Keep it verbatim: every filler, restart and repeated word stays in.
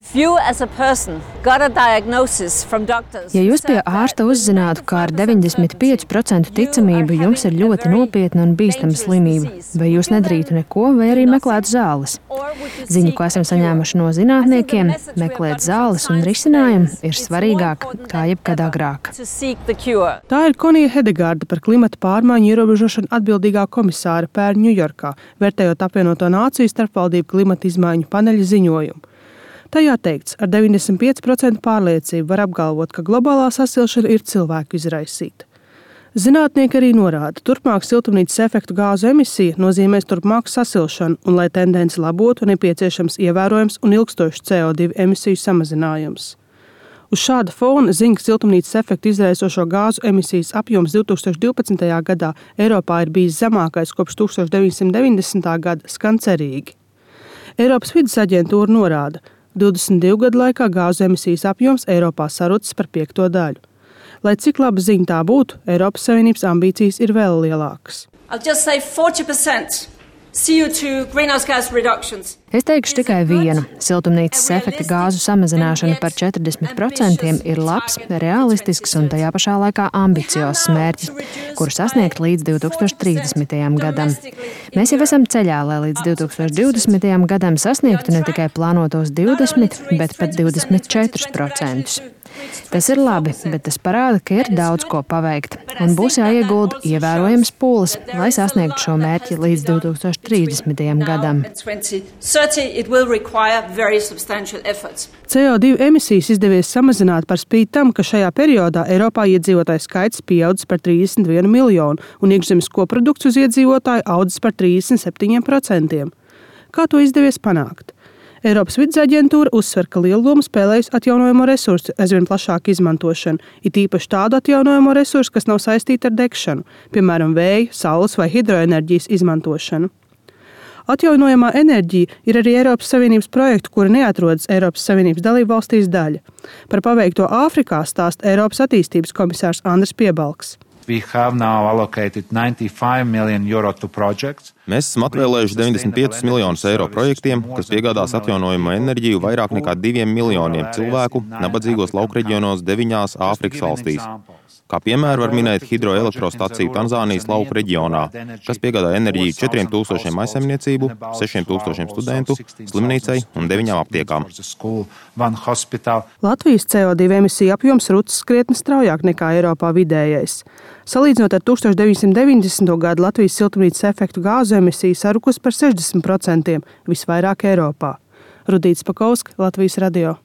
Ja jūs pie ārsta uzzinātu, ka ar deviņdesmit pieci procenti ticamību jums ir ļoti nopietna un bīstama slimība, vai jūs nedarītu neko, vai arī meklētu zāles? Ziņa, ko esam saņēmuši no zinātniekiem, meklēt zāles un risinājumu ir svarīgāk kā jebkad agrāk. Tā ir Konija Hedegārda, par klimata pārmaiņu ierobežošanu atbildīgā komisāra pērn Ņujorkā, vērtējot apvienoto nāciju starpvaldību klimata izmaiņu paneļa ziņojumu. Tajā teikts, ar deviņdesmit pieci procenti pārliecību var apgalvot, ka globālā sasilšana ir cilvēku izraisīta. Zinātnieki arī norāda, turpmāk siltumnīcas efektu gāzu emisija nozīmēs turpmāku sasilšanu, un, lai tendence labotu, nepieciešams ievērojams un ilgstošs C O divi emisiju samazinājums. Uz šāda fona ziņa, ka siltumnīcas efektu izraisošo gāzu emisijas apjoms divi tūkstoši divpadsmitajā gadā Eiropā ir bijis zemākais kopš tūkstoš deviņsimt deviņdesmitā gada, skan cerīgi. Eiropas vides aģentūra norāda, divdesmit divu gadu laikā gāzu emisijas apjoms Eiropā sarucis par piekto daļu. Lai cik laba ziņa tā būtu, Eiropas Savienības ambīcijas ir vēl lielākas. Es teikšu tikai vienu. Siltumnīcas efekta gāzu samazināšana par četrdesmit procentiem ir labs, realistisks un tajā pašā laikā ambiciozs mērķis, kuru sasniegt līdz divi tūkstoši trīsdesmitajam gadam. Mēs jau esam ceļā, lai līdz divi tūkstoši divdesmitajam gadam sasniegtu ne tikai plānotos divdesmit, bet pat divdesmit četrus procentus. Tas ir labi, bet tas parāda, ka ir daudz ko paveikt, un būs jāiegulda ievērojams pūles, lai sasniegtu šo mērķi līdz divi tūkstoši trīsdesmitajam gadam. C O divi emisijas izdevies samazināt par spīti tam, ka šajā periodā Eiropā iedzīvotāju skaits pieaudzis par trīsdesmit vienu miljonu un iekšzemes koprodukts uz iedzīvotāju audzis par trīsdesmit septiņiem procentiem. Kā to izdevies panākt? Eiropas vides aģentūra uzsver, ka lielu lomu spēlējusi atjaunojamo resursu aizvien plašāku izmantošanu, it īpaši tādu atjaunojamo resursu, kas nav saistīti ar degšanu, piemēram, vēja, saules vai hidroenerģijas izmantošanu. Atjaunojamā enerģija ir arī Eiropas Savienības projektu, kura neatrodas Eiropas Savienības dalībvalstīs daļa. Par paveikto Āfrikā stāsta Eiropas attīstības komisārs Andris Piebalgs. Mēs esam atvēlējuši deviņdesmit piecus miljonus eiro projektiem, kas piegādās atjaunojamo enerģiju vairāk nekā diviem miljoniem cilvēku nabadzīgos laukreģionos deviņās Āfrikas valstīs. Kā piemēru var minēt hidroelektrostaciju Tanzānijas lauku reģionā, kas piegādā enerģiju četriem tūkstošiem maisaimniecību, sešiem tūkstošiem studentu, slimnīcai un deviņām aptiekām. Latvijas C O divi emisiju apjoms rucis krietni straujāk nekā Eiropā vidējais. Salīdzinot ar tūkstoš deviņsimt deviņdesmito gadu, Latvijas siltumnīcas efektu gāzu emisija sarukus par sešdesmit procentiem, visvairāk Eiropā. Rudīts Pakovska, Latvijas radio.